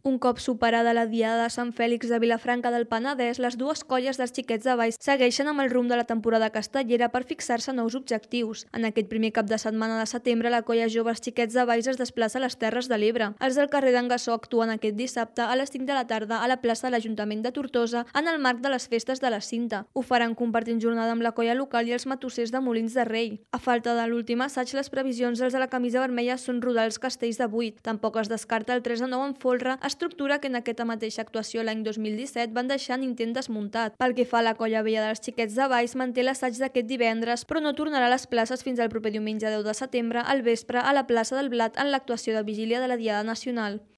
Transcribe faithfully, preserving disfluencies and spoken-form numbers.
Un cop superada la Diada de Sant Fèlix de Vilafranca del Penedès, les dues colles dels Xiquets de Valls segueixen amb el rumb de la temporada castellera per fixar-se nous objectius. En aquest primer cap de setmana de setembre, la colla jove Els Xiquets de Valls es desplaça a les Terres de l'Ebre. Els del carrer d'en Gassó actuen aquest dissabte a les cinc de la tarda a la plaça de l'Ajuntament de Tortosa en el marc de les festes de la Cinta. Ho faran compartint jornada amb la colla local i els matossers de Molins de Rei. A falta de l'últim assaig, les previsions dels de la camisa vermella són rodar els castells de vuit. Tampoc es descarta el tres a nou en folre, estructura que en aquesta mateixa actuació l'any dos mil disset van deixar en intent desmuntat. Pel que fa a la colla vella dels Xiquets de Valls, manté l'assaig d'aquest divendres, però no tornarà a les places fins al proper diumenge deu de setembre al vespre a la plaça del Blat en l'actuació de vigília de la Diada Nacional.